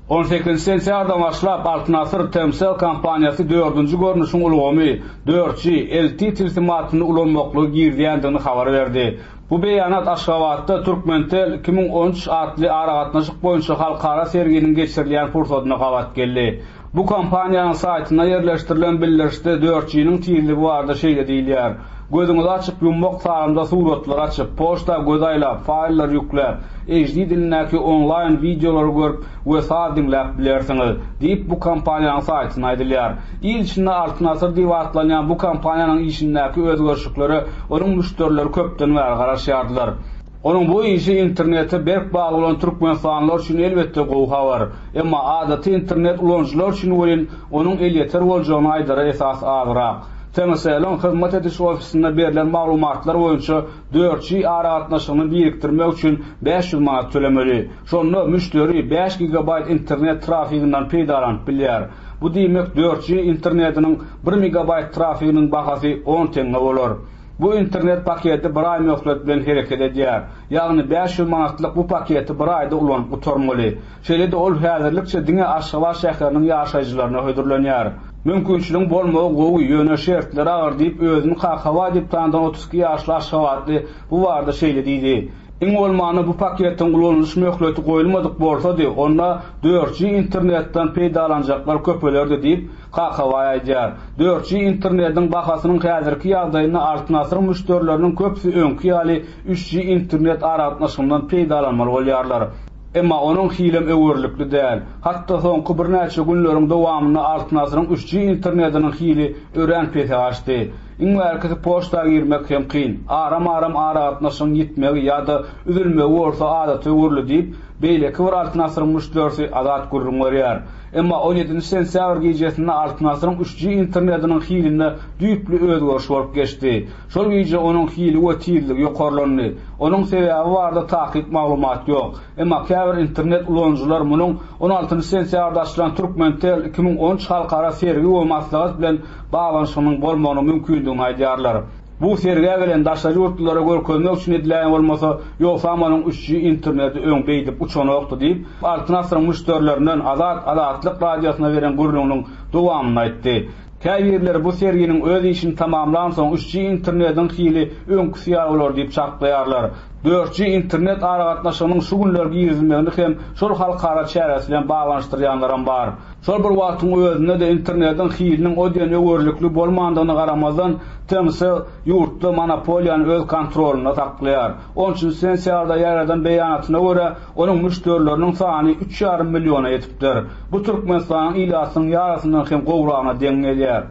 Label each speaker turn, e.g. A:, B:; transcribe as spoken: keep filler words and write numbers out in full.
A: On sekizinji sentýabrdan başlap Altyn Asyr Tmcell kompaniýasy dördünji görnüşiň ulgamy dört G L T tilsimatyny ulanmaklygy girizýändigini habar berdi. Bu beýanat Aşgabatda Türkmentel iki müň on üç atly aragatnaşyk boýunça halkara serginiň geçirilýän pursadyna gabat geldi. Bu kompaniýanyň saýtynda ýerleşdirilen bildirişde dört G-niň tizligi barada şeýle diýilýär. Gözüňizi açyp ýummak salymda suratlar açyp, poçta göz aýlap, faýllar ýükläp, H D dilindäki onlaýn wideolary görüp we saz diňläp bilersiňiz, diýip bu kompaniýanyň saýtynda aýdylýar. Il içinde Altyn Asyr diýip atlanýan bu kompaniýanyň işindäki özgerişliklere onuň müşderileri köpden bäri garaşýardylar. Onuň bu işi internete berk bagly bolan Türkmenistanlylar üçin elbetde gowy habar. Emma adaty internet ulanyjylar üçin welin onuň elýeter boljagyny aýdara esas azrak. T M C L-iň hyzmat ediş ofisinde berlen maglumatlar boýunça dört G aragatnaşygyny birikdirmek üçin bäş ýüz manat tölemeli. Şonda müşderi bäş gigabayt internet trafiginden peýdalanyp bilýär. Bu diýmek dört G internetiniň bir megabayt trafiginiň bahasy on tenge bolar. Bu internet paketi bir aý möhlet bilen hereket edýär. Ýagny bäş ýüz manatlyk bu paketi bir aýda ulanyp gutarmaly. Şeýle-de ol häzirlikçe diňe Aşgabat şäheriniň ýaşaýjylaryna hödürlenýär. Mümkinçiligiň bolmagy gowy, ýöne şertler agyr diýip özüni Kakabay diýip tanydan otuz iki ýaşly Aşgabatly bu barada şeýle diýdi. Iň bolmanda bu paketiň ulanylyş möhleti goýulmadyk bolsady, onda dört G internetden peýdalanjaklar köpelerdi diýip Kakabay aýdýar. dört G internetiň bahasynyň häzirki ýagdaýynda Altyn Asyryň müşderileriniň köpüsi öňki ýaly üç G internet aragatnaşygyndan peýdalanmaly bolýarlar. Emma onuň hilem öwürlikli däl. Hatda soňky birnäçe günleriň dowamynda Altyn Asyryň üç G internetiniň hili örän pese gaçdy. Iň bärkisi poçta girmek hem kyn. Aram-aram aragatnaşygyň ýitmegi ýa-da üzülmegi bolsa adaty öwürli diýip, beýleki bir Altyn Asyryň müşderisi Azat gürrüň berýär. Emma on ýedinji sentýabr gijesinde Altyn Asyryň üç G internetiniň hilinde düýpli özgeriş bolup geçdi. Şol gije onuň hili we tizligi ýokarlandy. Onuň sebäbi barada takyk maglumat ýok. Emma käbir internet ulanyjylar munuň on altynjy sentýabrda açylan Türkmentel iki müň on üç halkara sergi we maslahat bilen baglanyşygynyň bolmagynyň mümkindigini aýdýarlar. Bu sergä gelen daşary ýurtlylara görkezmek üçin edilen bolmasa, ýogsa onuň üç G interneti öň beýdip uçanokdy diýip, Altyn Asyryň müşderilerinden Azat Azatlyk radiosyna beren gürrüňiniň dowamyny aýtdy. Käbirleri bu serginiň öz işini tamamlan soň üç G internetiň hili öňküsi ýaly bolar diýip çaklaýarlar. dört G internet aragatnaşygynyň şu günler girizilmegini hem şol halkara çäresi bilen baglanyşdyrýanlaram bar. Şol bir wagtyň özünde de internetiň hiliniň o diýen öwürlikli bolmandygyna garamazdan T M C L ýurtda monopoliýany öz kontrolunda saklaýar. On üçünji sentýabrda ýaradan beýanatyna görä, onuň müşderileriniň sany üç ýarym milliona ýetipdir. Bu Türkmenistanyň ilatynyň ýarysyndan hem gowragyna deň gelýär.